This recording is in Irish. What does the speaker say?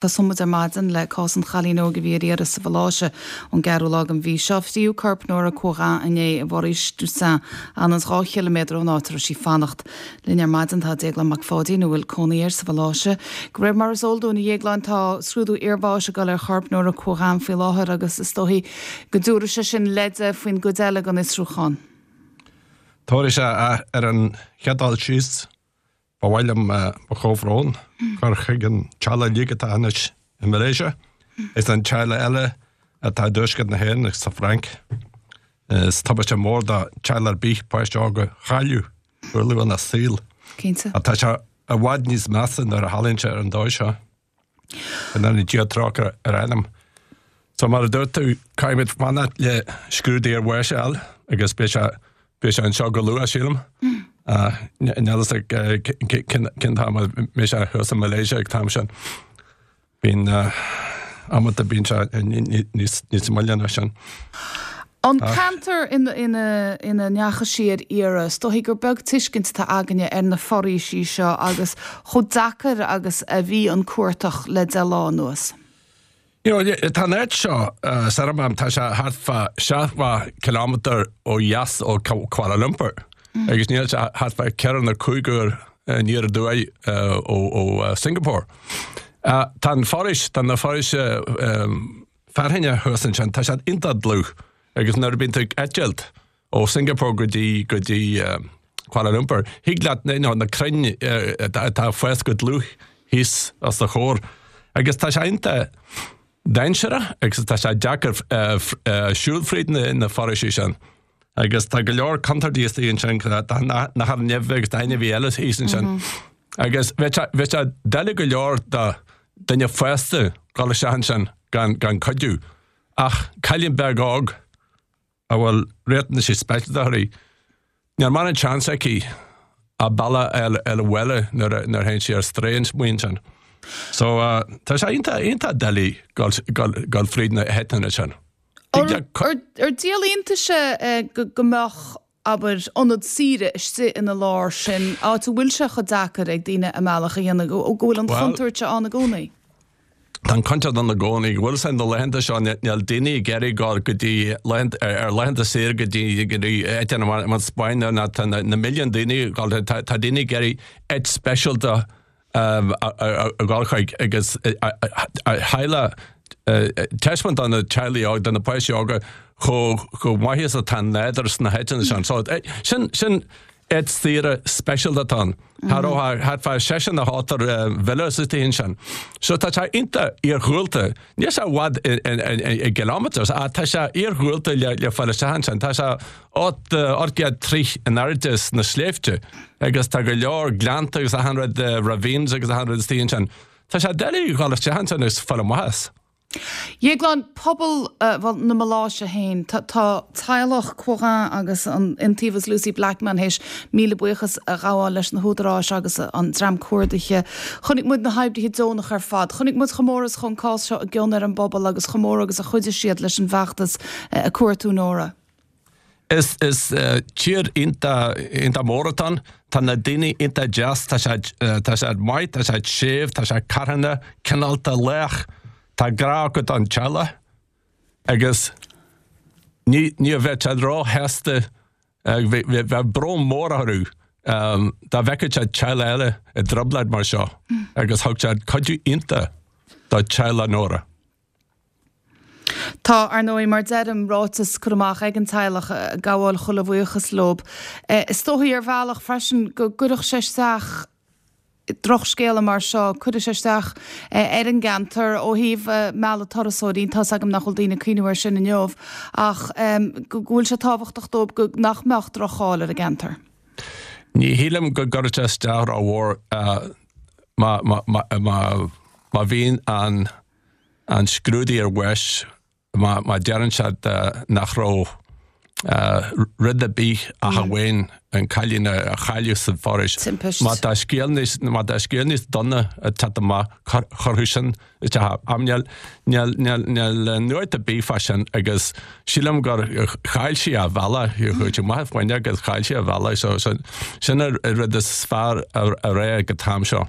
Tosóidh muid ar maidin le cás an chailín óig a bhí ar iarraidh sa Mhaláise ón gceathrú lá den mhí seo. Fríodh corp Nóra Quoirin inné i bhforaois Dusun, anonn 2 chiliméadar ón áit a raibh sí ag fanacht. Linn ar maidin tá Déaglán Mac Pháidín, a bhfuil cónaí air sa Mhaláise. De réir mar is eol dúinn, a Dhéagláin, tá scrúdú iarbháis ag dul ar chorp Nóra Quoirin faoi láthair agus is dóichí go dtabharfaidh sé sin leide faoin gcuid eile den fhiosrúchán. Tabharfaidh sé ar an chéad dul síos. Ba mhaith liom mo chomhbhrón a chur chuig an teaghlach uilig atá anois i Malaysia is an teaghlach eile atá i dtuaisceart na hÉireann agus sa Fhrainc. Is tubaiste mór do teaghlach ar bith páiste óg a chailleadh go luath ina saol. Cinnte. Ach tá sé i bhfad níos measa nuair a tharlaíonn sé ar an dóigh seo. Go ndéana Dia trócaire ar a anam. So mar a dúirt tú, caithfimid fanacht le scrúdú ar bháis a fháil agus beidh sé beidh sé anseo go luath, sílim. Níl a fhios agam cén t-am a mbeidh sé thuas i Malaysia ag an t-am sin. Bíonn amanta bíonn sé níos níos moille ná sin. An ceantar ina ndeachaigh sí ar iarraidh, is dóichí gur beag tuiscint atá againne ar na foraoisí seo agus chomh deacair agus a bhí an cuartach le 10 lá anuas. You know, tá an áit seo, Seremban, tá sé thart fá 70 kilometre ó dheas ó Kuala Lumpur agus níl sé thart fá 4 nó 5 uair aniar aduaidh ó Singapore. Tá an foraois, tá na foraoise fearthainne thuas ansin, tá siad iontach dlúth agus nuair a bíonn tú ag eitilt ó Singapore go dtí go dtí Kuala Lumpur, thig leat you know, na crainn atá ag fás go dlúth thíos os do chomhair agus tá sé iontach dainséarach agus tá sé deacair siúl fríd na, na foraoisí sin. Agus tá go leor contúirtí istigh ansin, tá nathair nimhe agus tá ainmhí eile thíos ansin. Agus bheadh sé, bheadh sé doiligh go leor do duine fásta dul isteach ansin gan, gan cuidiú. Ach cailín beag óg a bhfuil riachtanaisí speisialta uirthi, níl mórán seans aici a bealach a fháil abhaile nuair a, nuair a théann sí ar strae amuigh ansin. So uh, tá sé iontach, iontach doiligh dul, dul, dul fríd na háiteanna sin. Ar, ar, ar díol iontais é go, go mbeadh abair, ionad saoire istigh ina lár sin, áit a bhfuil sé chomh deacair ag daoine a mbealach a dhéanamh, go bhfuil an chontúirt ann i gcónaí. Tá an chontúirt ann i gcónaí, go bhfuil sé na laethanta seo, níl daoine ag iarraidh dul go dtí ar laethanta saoire go dtí go dtí áiteanna mar an Spáinn nó tá na milliúin daoine ag dul, tá daoine ag iarraidh áit speisialta a dhul chuig agus theaghlach taispeáint do na teaghlaigh óga, do na páistí óga chomh chomh maith is atá an nádúr sna háiteanna sin. So sin sin áit saoire speisialta atá ann. Thar ó thart fá seisean nó ochtar villas istigh ansin. So tá sé iontach iarghúlta. Níl sé i bhfad i gkilometres ach tá sé iarghúlta le le fáil isteach ansin. Tá sé 800 troigh in airde sna sléibhte agus tá go leor gleannta agus achan rud, ravines agus achan rud istigh ansin. Tá sé doiligh dhul isteach ansin agus fáil amach as. Dhéagláin, pobal, bhuel, na Maláise féin, tá teaghlach Quoirin agus an Iontaobhas Lucy Blackman théis míle buíochas a ghabháil leis na húdaráis agus an dream cuardaithe. Chonaic muid na hoibrithe deonacha ar fad. Chonaic muid chomh mór is a chuaigh an cás seo i gcion ar an bpobal agus chomh mór agus a chuidigh siad leis an bhfeachtas ag cuartú Nóra. Is tír iontach iontach mór atá ann. Tá na daoine iontach deas, tá siad tá siad maith, tá siad séimh, tá siad carthana, cineálta, lách. Tá grá acu don teaghlach agus ní ní bheadh siad róshásta bheadh brón mór orthu dá bhfeicfeadh siad teaghlach eile i dtrioblóid mar seo agus thug siad cuidiú iontach do teaghlach Nóra. Tá, ar ndóigh, mar deirim, ráiteas curtha amach ag an teaghlach ag gabháil chuile bhuíochas leob. Is dóichí ar bhealach freisin go gcuirfeadh sé isteach, drochscéala mar seo, cuirfidh sé isteach ar an gceantar ó thaobh mealladh turasóirí, tá's agam nach bhfuil daoine ag cuimhniú air sin inniu, ach go bhfuil sé tábhachtach dóibh go nach mbeadh droch-cháil ar an gceantar. Ní shílim go gcuirfeadh sé isteach rómhór má, má, má, má, má bhíonn an an scrúdú ar bháis má má deireann siad nach raibh rud ar bith ach amháin an cailín a chailleadh sa bhforaois. Timpist. Má tá scéal níos má tá scéal níos dona ag teacht amach chuirfeadh sin isteach. Ach níl níl níl níl nuacht ar bith fá sin agus sílim gur chaill sí a bealach chuaigh sí amach an fuinneog agus chaill sí a bealach so sin an rud is fearr a rá ag an t-am seo.